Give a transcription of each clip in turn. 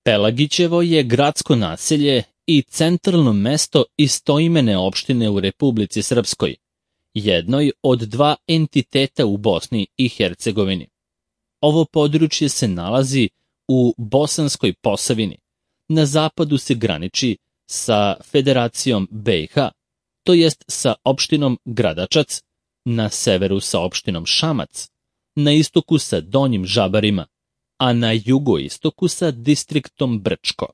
Pelagićevo je gradsko naselje i centralno mesto istoimene opštine u Republici Srpskoj, jednoj od dva entiteta u Bosni i Hercegovini. Ovo područje se nalazi u Bosanskoj Posavini. Na zapadu se graniči sa Federacijom BiH, to jest sa opštinom Gradačac, na severu sa opštinom Šamac, na istoku sa Donjim Žabarima, a na jugoistoku sa distriktom Brčko.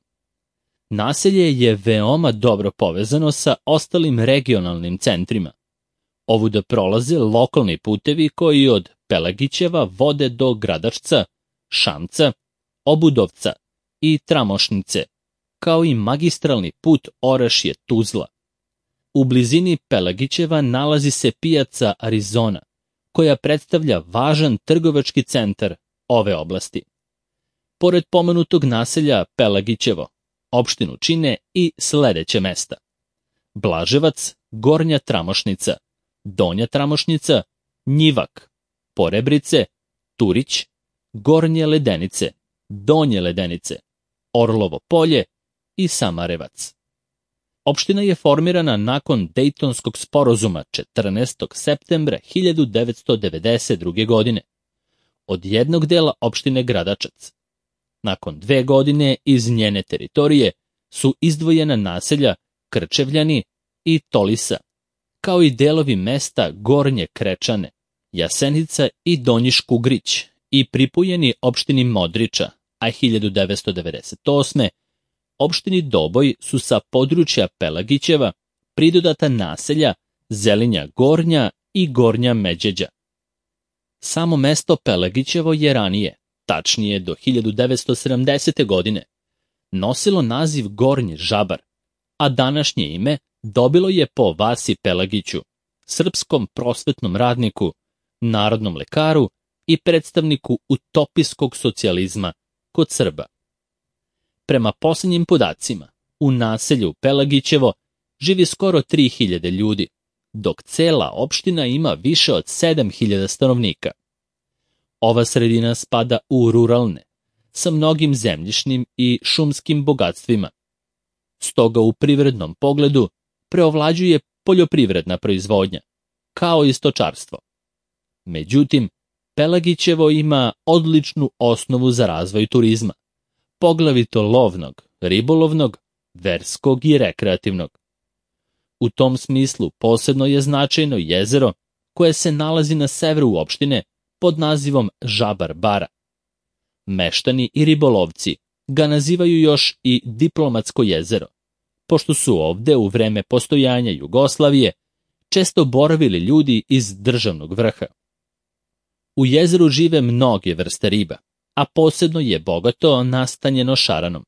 Naselje je veoma dobro povezano sa ostalim regionalnim centrima. Ovuda prolaze lokalni putevi koji od Pelagićeva vode do Gradačca, Šamca, Obudovca i Tramošnice, kao i magistralni put Orašje-Tuzla. U blizini Pelagićeva nalazi se pijaca Arizona, koja predstavlja važan trgovački centar ove oblasti. Pored pomenutog naselja Pelagićevo, opštinu čine i sledeće mesta: Blaževac, Gornja Tramošnica, Donja Tramošnica, Njivak, Porebrice, Turić, Gornje Ledenice, Donje Ledenice, Orlovo Polje i Samarevac. Opština je formirana nakon Dejtonskog sporazuma 14. septembra 1992. godine od jednog dela opštine Gradačac. Nakon 2 godine iz njene teritorije su izdvojena naselja Krčevljani i Tolisa, kao i delovi mesta Gornje Krečane, Jasenica i Donji Škugrić i pripojeni opštini Modriča, a 1998. opštini Doboj su sa područja Pelagićeva pridodata naselja Zelinja Gornja i Gornja Međeđa. Samo mesto Pelagićevo je ranije, tačnije do 1970. godine, nosilo naziv Gornji Žabar, a današnje ime dobilo je po Vasi Pelagiću, srpskom prosvetnom radniku, narodnom lekaru i predstavniku utopijskog socijalizma kod Srba. Prema posljednjim podacima, u naselju Pelagićevo živi skoro 3000 ljudi, dok cela opština ima više od 7000 stanovnika. Ova sredina spada u ruralne, sa mnogim zemljišnim i šumskim bogatstvima. Stoga u privrednom pogledu preovlađuje poljoprivredna proizvodnja, kao i stočarstvo. Međutim, Pelagićevo ima odličnu osnovu za razvoj turizma, poglavito lovnog, ribolovnog, verskog i rekreativnog. U tom smislu posebno je značajno jezero koje se nalazi na severu opštine pod nazivom Žabar Bara. Meštani i ribolovci ga nazivaju još i Diplomatsko jezero, pošto su ovde u vreme postojanja Jugoslavije često boravili ljudi iz državnog vrha. U jezeru žive mnoge vrste riba, a posebno je bogato nastanjeno šaranom.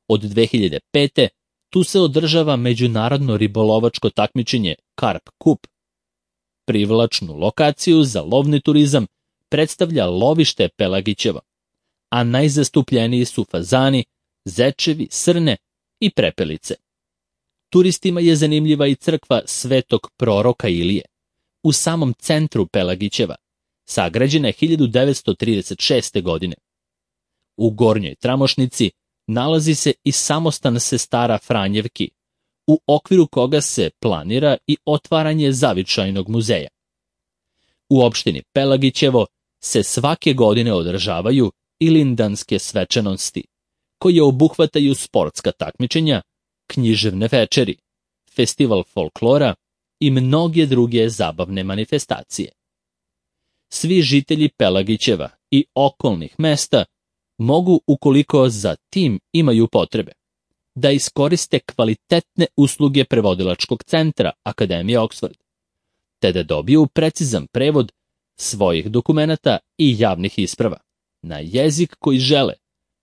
Od 2005. tu se održava međunarodno ribolovačko takmičenje Karp Kup. Privlačnu lokaciju za lovni turizam predstavlja lovište Pelagićevo, a najzastupljeniji su fazani, zečevi, srne i prepelice. Turistima je zanimljiva i crkva Svetog proroka Ilije, u samom centru Pelagićeva, sagrađena je 1936. godine. U Gornjoj Tramošnici nalazi se i samostan sestara Franjevki, u okviru koga se planira i otvaranje zavičajnog muzeja. U opštini Pelagićevo se svake godine održavaju ilindanske svečanosti, koje obuhvataju sportska takmičenja, književne večeri, festival folklora i mnoge druge zabavne manifestacije. Svi žitelji Pelagićeva i okolnih mesta mogu, ukoliko za tim imaju potrebe, da iskoriste kvalitetne usluge prevodilačkog centra Akademije Oxford, te da dobiju precizan prevod svojih dokumenata i javnih isprava na jezik koji žele,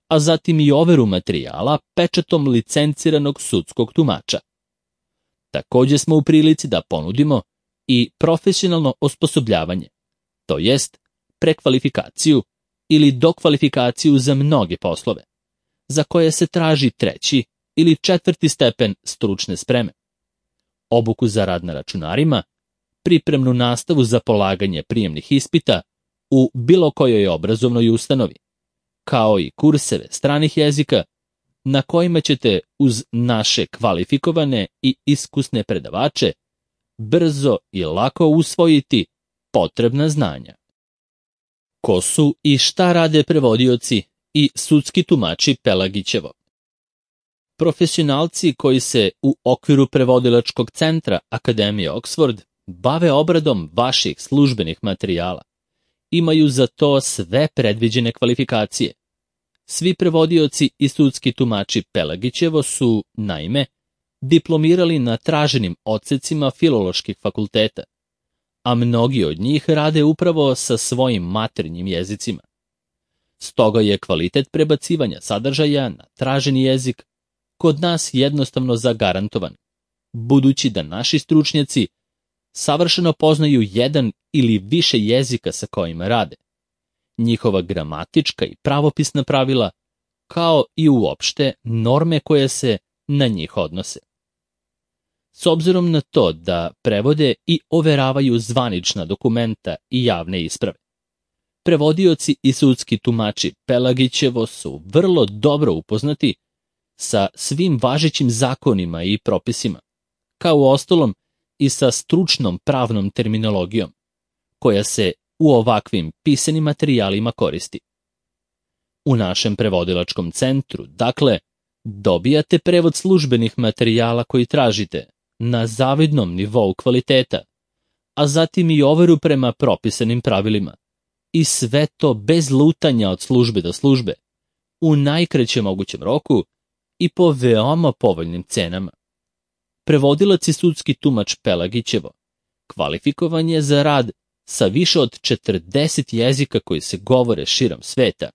a zatim i overu materijala pečatom licenciranog sudskog tumača. Takođe smo u prilici da ponudimo i profesionalno osposobljavanje, to jest prekvalifikaciju ili dokvalifikaciju za mnoge poslove, za koje se traži 3. ili 4. stepen stručne spreme, obuku za rad na računarima, pripremnu nastavu za polaganje prijemnih ispita u bilo kojoj obrazovnoj ustanovi, kao i kurseve stranih jezika na kojima ćete uz naše kvalifikovane i iskusne predavače brzo i lako usvojiti potrebna znanja. Ko su i šta rade prevodioci i sudski tumači Pelagićevo? Profesionalci koji se u okviru prevodilačkog centra Akademije Oxford bave obradom vaših službenih materijala. Imaju za to sve predviđene kvalifikacije. Svi prevodioci i sudski tumači Pelagićevo su, naime, diplomirali na traženim odsecima filoloških fakulteta, a mnogi od njih rade upravo sa svojim maternjim jezicima. Stoga je kvalitet prebacivanja sadržaja na traženi jezik kod nas jednostavno zagarantovan, budući da naši stručnjaci savršeno poznaju jedan ili više jezika sa kojima rade, njihova gramatička i pravopisna pravila, kao i uopšte norme koje se na njih odnose. S obzirom na to da prevode i overavaju zvanična dokumenta i javne isprave, prevodioci i sudski tumači Pelagićevo su vrlo dobro upoznati sa svim važećim zakonima i propisima, kao uostalom i sa stručnom pravnom terminologijom, koja se u ovakvim pisanim materijalima koristi. U našem prevodilačkom centru, dakle, dobijate prevod službenih materijala koji tražite na zavidnom nivou kvaliteta, a zatim i overu prema propisanim pravilima, i sve to bez lutanja od službe do službe, u najkraćem mogućem roku i po veoma povoljnim cenama. Prevodilac i sudski tumač Pelagićevo kvalifikovan je za rad sa više od 40 jezika koji se govore širom sveta,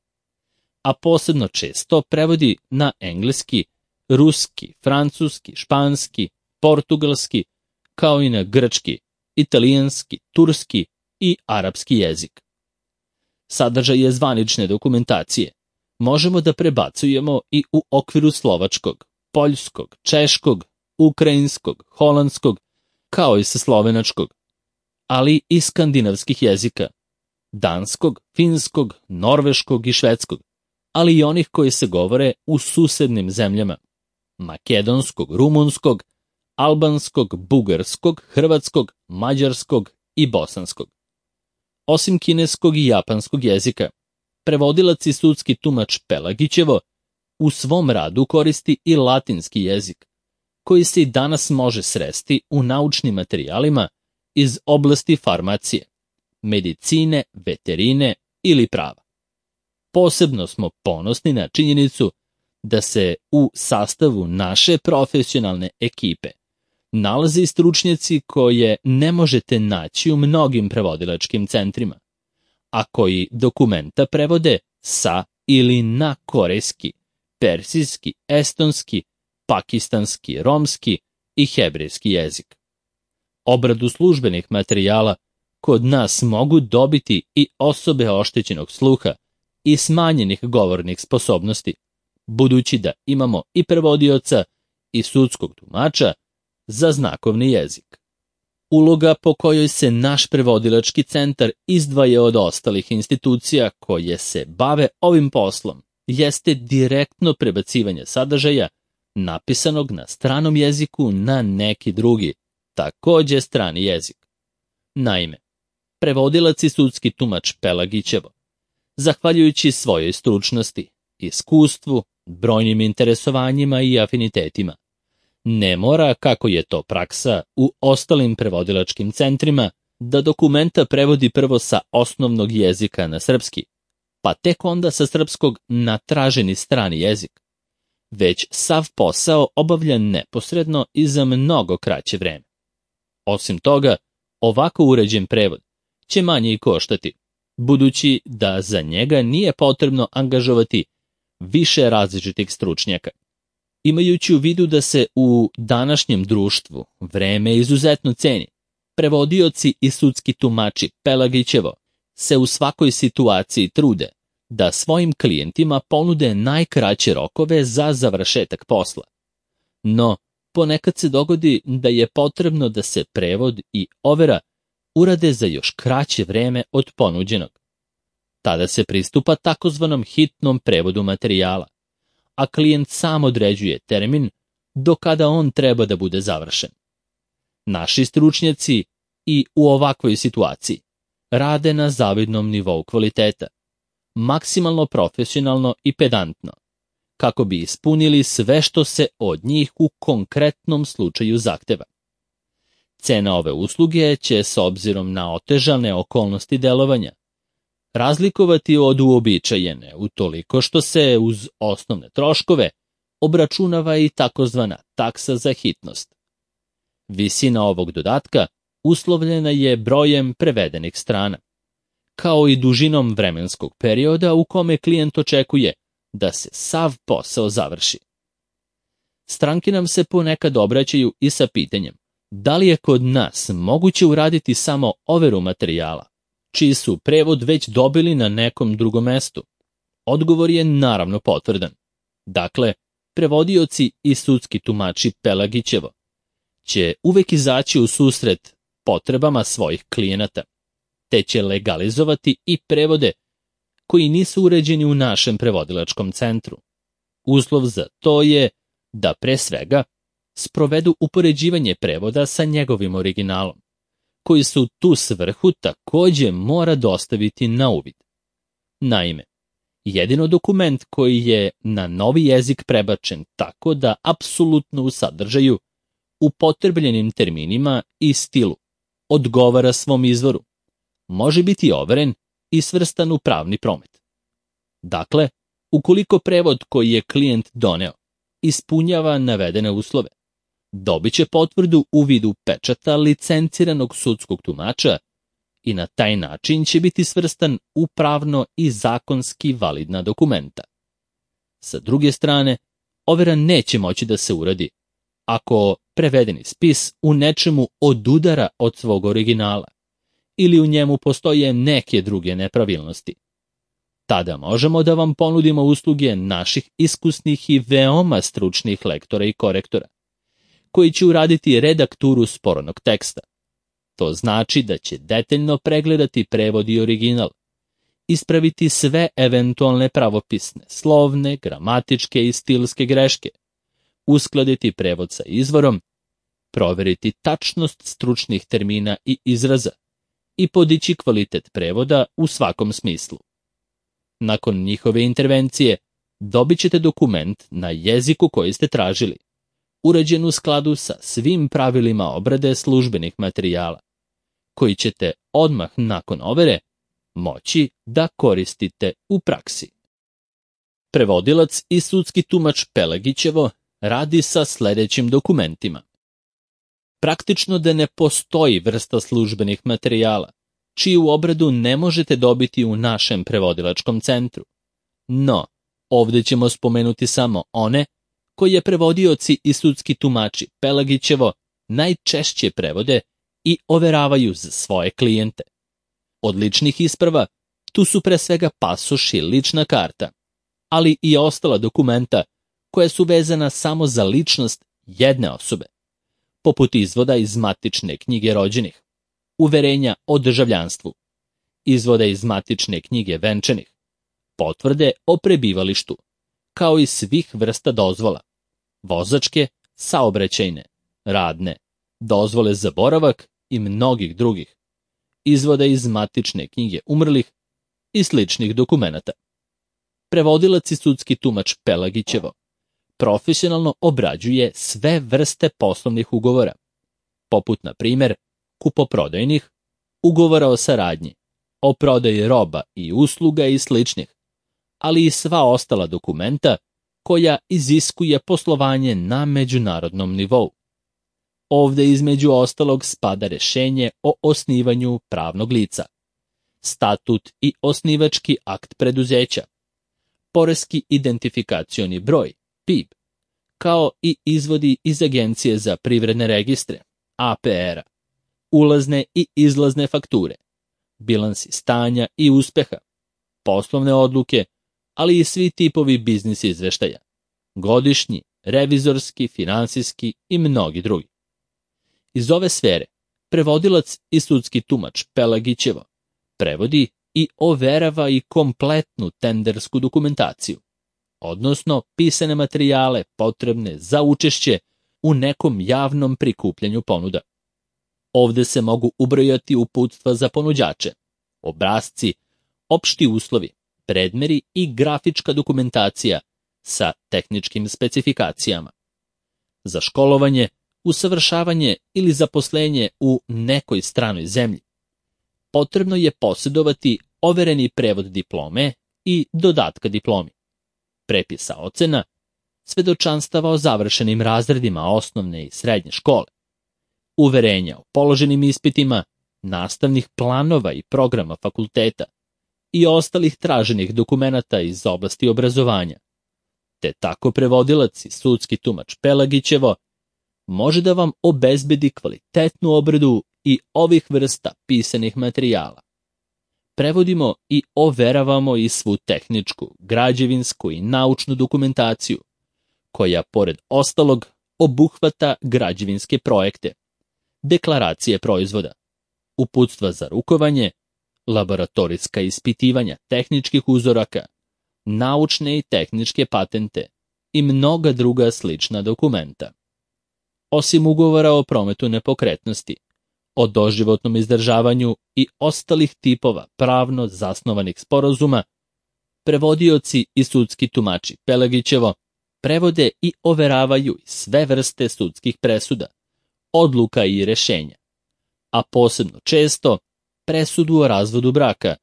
a posebno često prevodi na engleski, ruski, francuski, španski, portugalski, kao i na grčki, italijanski, turski i arapski jezik. Sadržaj je zvanične dokumentacije možemo da prebacujemo i u okviru slovačkog, poljskog, češkog, ukrajinskog, holandskog, kao i sa slovenačkog, ali i skandinavskih jezika, danskog, finskog, norveškog i švedskog, ali i onih koji se govore u susednim zemljama, makedonskog, rumunskog, albanskog, bugarskog, hrvatskog, mađarskog i bosanskog. Osim kineskog i japanskog jezika, prevodilac i sudski tumač Pelagićevo u svom radu koristi i latinski jezik, koji se i danas može sresti u naučnim materijalima iz oblasti farmacije, medicine, veterine ili prava. Posebno smo ponosni na činjenicu da se u sastavu naše profesionalne ekipe nalaze i stručnjaci koje ne možete naći u mnogim prevodilačkim centrima, a koji dokumenta prevode sa ili na korejski, persijski, estonski, pakistanski, romski i hebrejski jezik. Obradu službenih materijala kod nas mogu dobiti i osobe oštećenog sluha i smanjenih govornih sposobnosti, budući da imamo i prevodioca i sudskog tumača za znakovni jezik. Uloga po kojoj se naš prevodilački centar izdvaja od ostalih institucija koje se bave ovim poslom jeste direktno prebacivanje sadržaja napisanog na stranom jeziku na neki drugi, takođe strani jezik. Naime, prevodilac i sudski tumač Pelagićevo, zahvaljujući svojoj stručnosti, iskustvu, brojnim interesovanjima i afinitetima, ne mora, kako je to praksa u ostalim prevodilačkim centrima, da dokumenta prevodi prvo sa osnovnog jezika na srpski, pa tek onda sa srpskog na traženi strani jezik, već sav posao obavlja neposredno i za mnogo kraće vreme. Osim toga, ovako uređen prevod će manje i koštati, budući da za njega nije potrebno angažovati više različitih stručnjaka. Imajući u vidu da se u današnjem društvu vreme izuzetno ceni, prevodioci i sudski tumači Pelagićevo se u svakoj situaciji trude da svojim klijentima ponude najkraće rokove za završetak posla. No, ponekad se dogodi da je potrebno da se prevod i overa urade za još kraće vreme od ponuđenog. Tada se pristupa takozvanom hitnom prevodu materijala, a klijent sam određuje termin do kada on treba da bude završen. Naši stručnjaci i u ovakvoj situaciji rade na zavidnom nivou kvaliteta, maksimalno profesionalno i pedantno, kako bi ispunili sve što se od njih u konkretnom slučaju zahteva. Cena ove usluge će, s obzirom na otežane okolnosti delovanja, razlikovati od uobičajene utoliko što se uz osnovne troškove obračunava i takozvana taksa za hitnost. Visina ovog dodatka uslovljena je brojem prevedenih strana, kao i dužinom vremenskog perioda u kome klijent očekuje da se sav posao završi. Stranke nam se ponekad obraćaju i sa pitanjem da li je kod nas moguće uraditi samo overu materijala, čiji su prevod već dobili na nekom drugom mestu. Odgovor je naravno potvrdan. Dakle, prevodioci i sudski tumači Pelagićevo će uvek izaći u susret potrebama svojih klijenata, te će legalizovati i prevode koji nisu uređeni u našem prevodilačkom centru. Uslov za to je da pre svega sprovedu upoređivanje prevoda sa njegovim originalom, koji se u tu svrhu takođe mora dostaviti na uvid. Naime, jedino dokument koji je na novi jezik prebačen tako da apsolutno u sadržaju, upotrebljenim terminima i stilu odgovara svom izvoru, može biti overen i svrstan u pravni promet. Dakle, ukoliko prevod koji je klijent doneo ispunjava navedene uslove, dobit će potvrdu u vidu pečata licenciranog sudskog tumača i na taj način će biti svrstan u pravno i zakonski validna dokumenta. Sa druge strane, overa neće moći da se uradi ako prevedeni spis u nečemu odudara od svog originala ili u njemu postoje neke druge nepravilnosti. Tada možemo da vam ponudimo usluge naših iskusnih i veoma stručnih lektora i korektora, koji će uraditi redakturu sporanog teksta. To znači da će detaljno pregledati prevod i original, ispraviti sve eventualne pravopisne, slovne, gramatičke i stilske greške, uskladiti prevod sa izvorom, proveriti tačnost stručnih termina i izraza i podići kvalitet prevoda u svakom smislu. Nakon njihove intervencije dobit ćete dokument na jeziku koji ste tražili, urađen u skladu sa svim pravilima obrade službenih materijala, koji ćete odmah nakon overe moći da koristite u praksi. Prevodilac i sudski tumač Pelagićevo radi sa sledećim dokumentima. Praktično da ne postoji vrsta službenih materijala, čiju obradu ne možete dobiti u našem prevodilačkom centru. No, ovde ćemo spomenuti samo one koje prevodioci i sudski tumači Pelagićevo najčešće prevode i overavaju za svoje klijente. Od ličnih isprava tu su pre svega pasoš i lična karta, ali i ostala dokumenta koja su vezana samo za ličnost jedne osobe, poput izvoda iz matične knjige rođenih, uverenja o državljanstvu, izvoda iz matične knjige venčanih, potvrde o prebivalištu, kao i svih vrsta dozvola, vozačke, saobraćajne, radne, dozvole za boravak i mnogih drugih, izvoda iz matične knjige umrlih i sličnih dokumenata. Prevodilac i sudski tumač Pelagićevo profesionalno obrađuje sve vrste poslovnih ugovora, poput na primjer kupoprodajnih, ugovora o saradnji, o prodaji roba i usluga i sličnih, ali i sva ostala dokumenta koja iziskuje poslovanje na međunarodnom nivou. Ovde između ostalog spada rešenje o osnivanju pravnog lica, statut i osnivački akt preduzeća, poreski identifikacioni broj, PIB, kao i izvodi iz Agencije za privredne registre, APR-a, ulazne i izlazne fakture, bilansi stanja i uspeha, poslovne odluke, ali i svi tipovi biznis izveštaja, godišnji, revizorski, finansijski i mnogi drugi. Iz ove sfere prevodilac i sudski tumač Pelagićevo prevodi i overava i kompletnu tendersku dokumentaciju, odnosno pisane materijale potrebne za učešće u nekom javnom prikupljanju ponuda. Ovde se mogu ubrojati uputstva za ponuđače, obrasci, opšti uslovi, predmeri i grafička dokumentacija sa tehničkim specifikacijama. Za školovanje, usavršavanje ili zaposlenje u nekoj stranoj zemlji potrebno je posjedovati overeni prevod diplome i dodatka diplomi, prepisa ocena, svedočanstava o završenim razredima osnovne i srednje škole, uverenja o položenim ispitima, nastavnih planova i programa fakulteta i ostalih traženih dokumenata iz oblasti obrazovanja, te tako prevodilac i sudski tumač Pelagićevo može da vam obezbedi kvalitetnu obradu i ovih vrsta pisanih materijala. Prevodimo i overavamo i svu tehničku, građevinsku i naučnu dokumentaciju, koja, pored ostalog, obuhvata građevinske projekte, deklaracije proizvoda, uputstva za rukovanje, laboratorijska ispitivanja tehničkih uzoraka, naučne i tehničke patente i mnoga druga slična dokumenta. Osim ugovora o prometu nepokretnosti, o doživotnom izdržavanju i ostalih tipova pravno zasnovanih sporazuma, prevodioci i sudski tumači Pelagićevo prevode i overavaju sve vrste sudskih presuda, odluka i rešenja, a posebno često presudu o razvodu braka,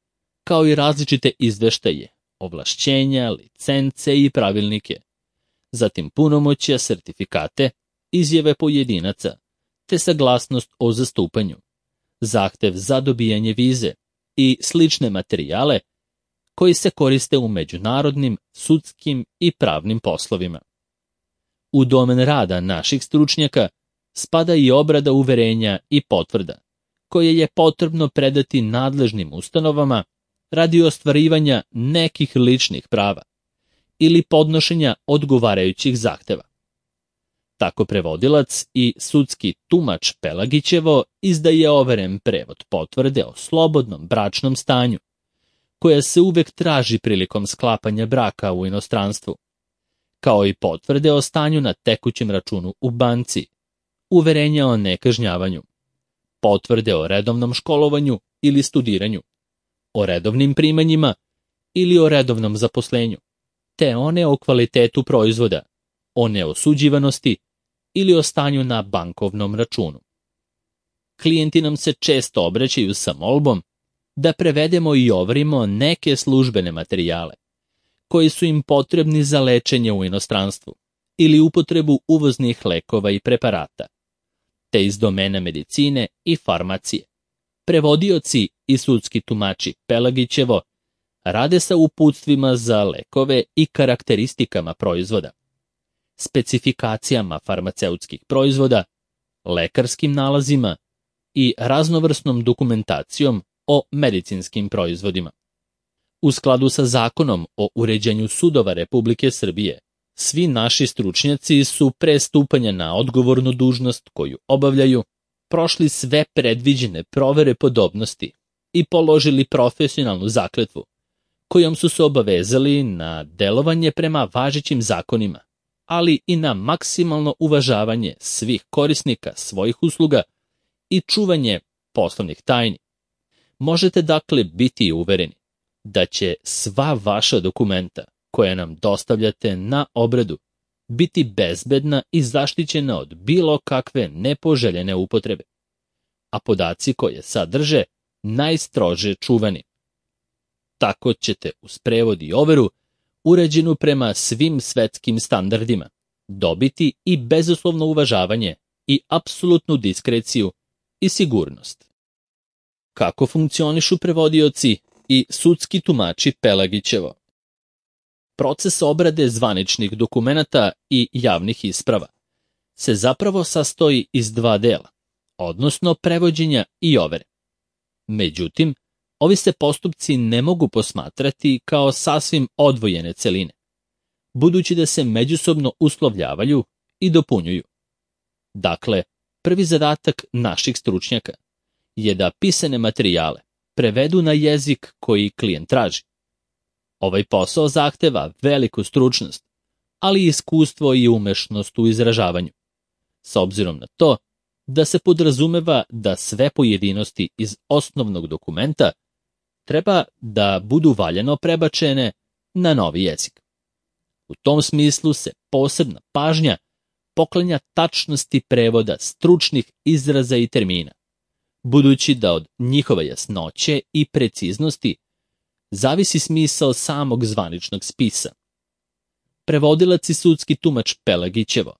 kao i različite izveštaje, ovlašćenja, licence i pravilnike, zatim punomoćja, sertifikate, izjave pojedinaca, te saglasnost o zastupanju, zahtev za dobijanje vize i slične materijale koji se koriste u međunarodnim, sudskim i pravnim poslovima. U domen rada naših stručnjaka spada i obrada uverenja i potvrda, koje je potrebno predati nadležnim ustanovama radi ostvarivanja nekih ličnih prava ili podnošenja odgovarajućih zahteva. Tako prevodilac i sudski tumač Pelagićevo izdaje overen prevod potvrde o slobodnom bračnom stanju, koja se uvek traži prilikom sklapanja braka u inostranstvu, kao i potvrde o stanju na tekućem računu u banci, uverenja o nekažnjavanju, potvrde o redovnom školovanju ili studiranju, o redovnim primanjima ili o redovnom zaposlenju, te one o kvalitetu proizvoda, o neosuđivanosti ili o stanju na bankovnom računu. Klijenti nam se često obraćaju sa molbom da prevedemo i overimo neke službene materijale, koji su im potrebni za lečenje u inostranstvu ili upotrebu uvoznih lekova i preparata, te iz domena medicine i farmacije. Prevodioci i sudski tumači Pelagićevo rade sa uputstvima za lekove i karakteristikama proizvoda, specifikacijama farmaceutskih proizvoda, lekarskim nalazima i raznovrsnom dokumentacijom o medicinskim proizvodima. U skladu sa Zakonom o uređenju sudova Republike Srbije, svi naši stručnjaci su pre stupanja na odgovornu dužnost koju obavljaju prošli sve predviđene provere podobnosti i položili profesionalnu zakletvu, kojom su se obavezali na delovanje prema važećim zakonima, ali i na maksimalno uvažavanje svih korisnika svojih usluga i čuvanje poslovnih tajni. Možete dakle biti uvereni da će sva vaša dokumenta koje nam dostavljate na obradu biti bezbedna i zaštićena od bilo kakve nepoželjene upotrebe, a podaci koje sadrže najstrože čuvani. Tako ćete uz prevod i overu, uređenu prema svim svetskim standardima, dobiti i bezuslovno uvažavanje i apsolutnu diskreciju i sigurnost. Kako funkcionišu prevodioci i sudski tumači Pelagićevo? Proces obrade zvaničnih dokumenata i javnih isprava se zapravo sastoji iz dva dela, odnosno prevođenja i overe. Međutim, ovi se postupci ne mogu posmatrati kao sasvim odvojene celine, budući da se međusobno uslovljavaju i dopunjuju. Dakle, prvi zadatak naših stručnjaka je da pisane materijale prevedu na jezik koji klijent traži. Ovaj posao zahteva veliku stručnost, ali i iskustvo i umešnost u izražavanju. S obzirom na to da se podrazumeva da sve pojedinosti iz osnovnog dokumenta treba da budu valjano prebačene na novi jezik. U tom smislu se posebna pažnja poklanja tačnosti prevoda stručnih izraza i termina, budući da od njihove jasnoće i preciznosti zavisi smisao samog zvaničnog spisa. Prevodilac i sudski tumač Pelagićevo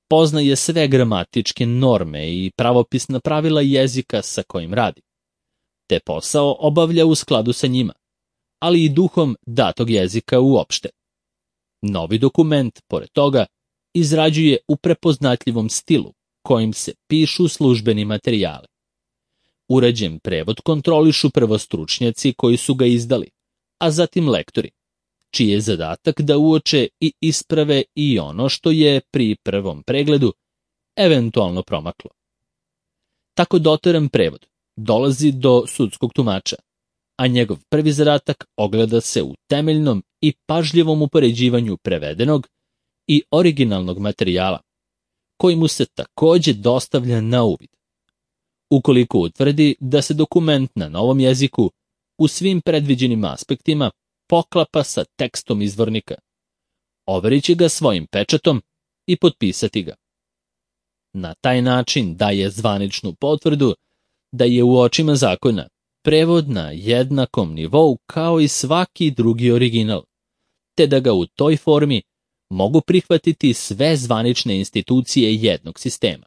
poznaje sve gramatičke norme i pravopisna pravila jezika sa kojim radi, te posao obavlja u skladu sa njima, ali i duhom datog jezika uopšte. Novi dokument, pored toga, izrađuje u prepoznatljivom stilu kojim se pišu službeni materijali. Uređen prevod kontrolišu prvo stručnjaci koji su ga izdali, a zatim lektori, čiji je zadatak da uoče i isprave i ono što je pri prvom pregledu eventualno promaklo. Tako doteran prevod dolazi do sudskog tumača, a njegov prvi zadatak ogleda se u temeljnom i pažljivom upoređivanju prevedenog i originalnog materijala, koji mu se takođe dostavlja na uvid. Ukoliko utvrdi da se dokument na novom jeziku u svim predviđenim aspektima poklapa sa tekstom izvornika, overit će ga svojim pečatom i potpisati ga. Na taj način daje zvaničnu potvrdu da je u očima zakona prevod na jednakom nivou kao i svaki drugi original, te da ga u toj formi mogu prihvatiti sve zvanične institucije jednog sistema.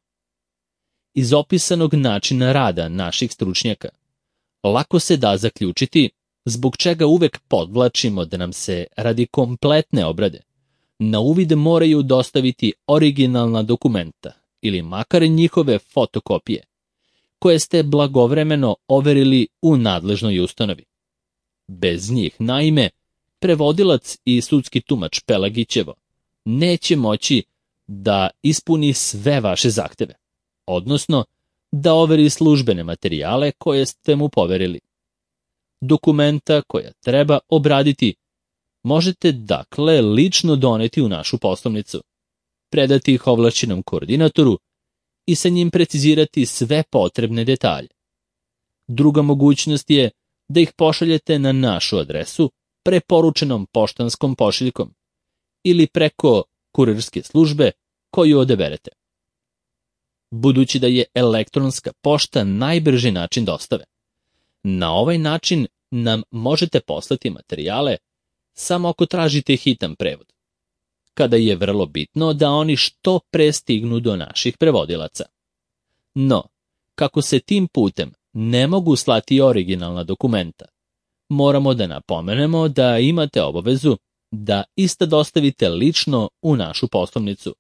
Iz opisanog načina rada naših stručnjaka lako se da zaključiti zbog čega uvek podvlačimo da nam se radi kompletne obrade na uvid moraju dostaviti originalna dokumenta ili makar njihove fotokopije, koje ste blagovremeno overili u nadležnoj ustanovi. Bez njih, naime, prevodilac i sudski tumač Pelagićevo neće moći da ispuni sve vaše zahteve, odnosno da overi službene materijale koje ste mu poverili. Dokumenta koja treba obraditi možete dakle lično doneti u našu poslovnicu, predati ih ovlašćenom koordinatoru i sa njim precizirati sve potrebne detalje. Druga mogućnost je da ih pošaljete na našu adresu preporučenom poštanskom pošiljkom ili preko kurirske službe koju odaberete. Budući da je elektronska pošta najbrži način dostave, na ovaj način nam možete poslati materijale samo ako tražite hitan prevod, kada je vrlo bitno da oni što pre stignu do naših prevodilaca. No, kako se tim putem ne mogu slati originalna dokumenta, moramo da napomenemo da imate obavezu da ista dostavite lično u našu poslovnicu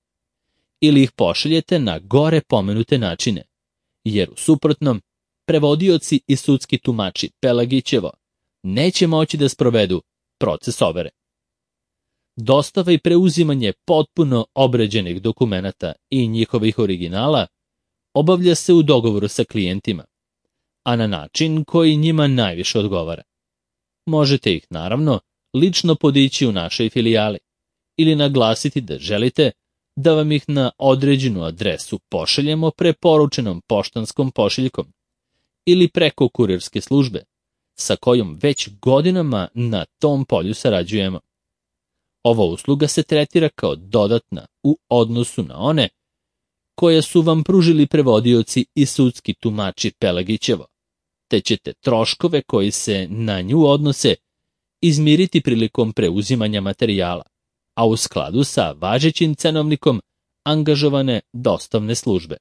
ili ih pošaljete na gore pomenute načine, jer u suprotnom prevodioci i sudski tumači Pelagićevo neće moći da sprovedu proces overe. Dostava i preuzimanje potpuno obrađenih dokumenata i njihovih originala obavlja se u dogovoru sa klijentima, a na način koji njima najviše odgovara. Možete ih, naravno, lično podići u našoj filijali ili naglasiti da želite da vam ih na određenu adresu pošaljemo preporučenom poštanskom pošiljkom ili preko kurirske službe, sa kojom već godinama na tom polju sarađujemo. Ova usluga se tretira kao dodatna u odnosu na one koje su vam pružili prevodioci i sudski tumači Pelagićevo, te ćete troškove koji se na nju odnose izmiriti prilikom preuzimanja materijala, a u skladu sa važećim cenovnikom angažovane dostavne službe.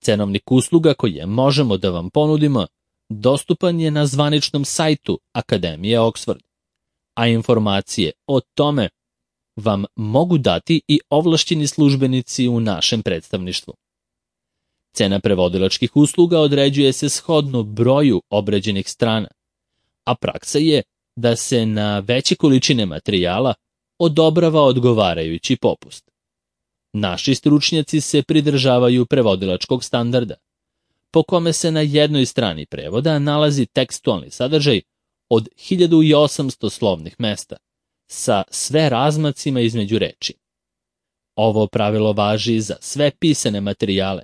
Cenovnik usluga koje možemo da vam ponudimo dostupan je na zvaničnom sajtu Akademije Oxford, a informacije o tome vam mogu dati i ovlašćeni službenici u našem predstavništvu. Cena prevodilačkih usluga određuje se shodno broju obrađenih strana, a praksa je da se na veće količine materijala odobrava odgovarajući popust. Naši stručnjaci se pridržavaju prevodilačkog standarda, po kome se na jednoj strani prevoda nalazi tekstualni sadržaj od 1800 slovnih mesta, sa sve razmacima između reči. Ovo pravilo važi za sve pisane materijale,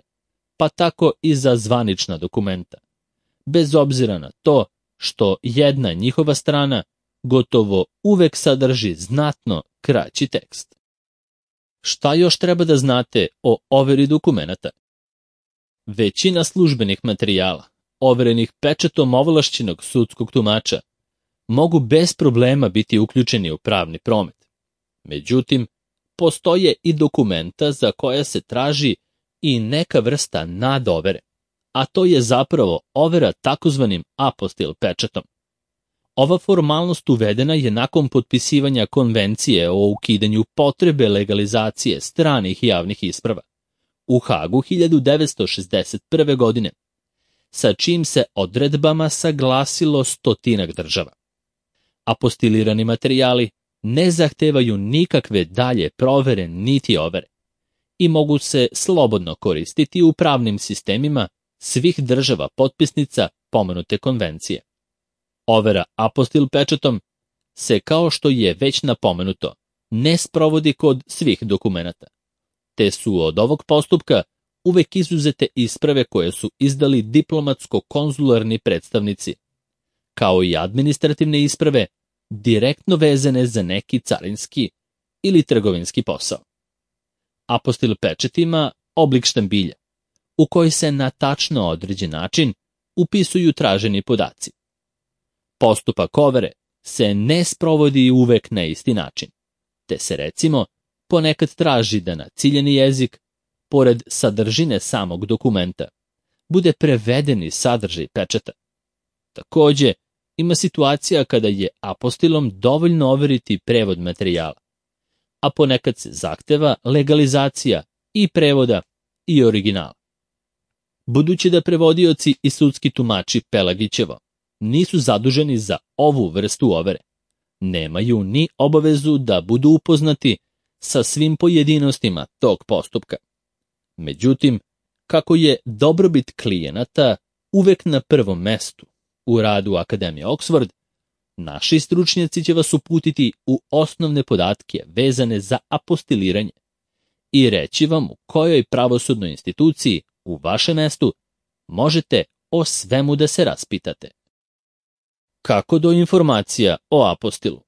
pa tako i za zvanična dokumenta, bez obzira na to što jedna njihova strana gotovo uvek sadrži znatno kraći tekst. Šta još treba da znate o overi dokumenata? Većina službenih materijala, overenih pečatom ovlašćenog sudskog tumača, mogu bez problema biti uključeni u pravni promet. Međutim, postoje i dokumenta za koja se traži i neka vrsta nadovere, a to je zapravo overa takozvanim apostil pečatom. Ova formalnost uvedena je nakon potpisivanja konvencije o ukidanju potrebe legalizacije stranih javnih isprava u Hagu 1961. godine, sa čim se odredbama saglasilo 100 država. Apostilirani materijali ne zahtevaju nikakve dalje provere niti overe i mogu se slobodno koristiti u pravnim sistemima svih država potpisnica pomenute konvencije. Overa apostil pečatom se, kao što je već napomenuto, ne sprovodi kod svih dokumenata, te su od ovog postupka uvek izuzete isprave koje su izdali diplomatsko-konzularni predstavnici, kao i administrativne isprave direktno vezane za neki carinski ili trgovinski posao. Apostil pečat ima oblik štambilja, u koji se na tačno određen način upisuju traženi podaci. Postupak overe se ne sprovodi uvek na isti način, te se recimo ponekad traži da na ciljani jezik, pored sadržine samog dokumenta, bude prevedeni sadržaj pečata. Takođe, ima situacija kada je apostilom dovoljno overiti prevod materijala, a ponekad se zahteva legalizacija i prevoda i originala. Budući da prevodioci i sudski tumači Pelagićevo nisu zaduženi za ovu vrstu overe, nemaju ni obavezu da budu upoznati sa svim pojedinostima tog postupka. Međutim, kako je dobrobit klijenata uvek na prvom mestu u radu Akademije Oxford, naši stručnjaci će vas uputiti u osnovne podatke vezane za apostiliranje i reći vam u kojoj pravosudnoj instituciji u vašem mestu možete o svemu da se raspitate. Kako do informacija o apostilu?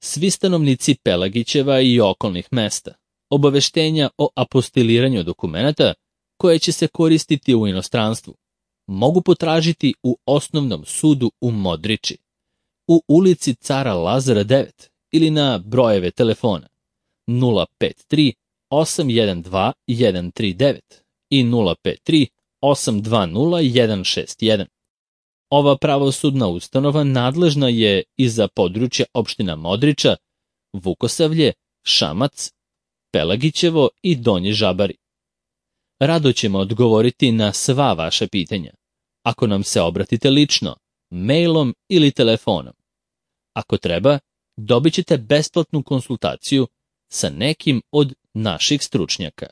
Svi stanovnici Pelagićeva i okolnih mesta obaveštenja o apostiliranju dokumenata koje će se koristiti u inostranstvu mogu potražiti u osnovnom sudu u Modriči, u ulici Cara Lazara 9 ili na brojeve telefona 053 812 139 i 053 820 161. Ova pravosudna ustanova nadležna je i za područje opština Modriča, Vukosavlje, Šamac, Pelagićevo i Donji Žabari. Rado ćemo odgovoriti na sva vaša pitanja, ako nam se obratite lično, mailom ili telefonom. Ako treba, dobit ćete besplatnu konsultaciju sa nekim od naših stručnjaka.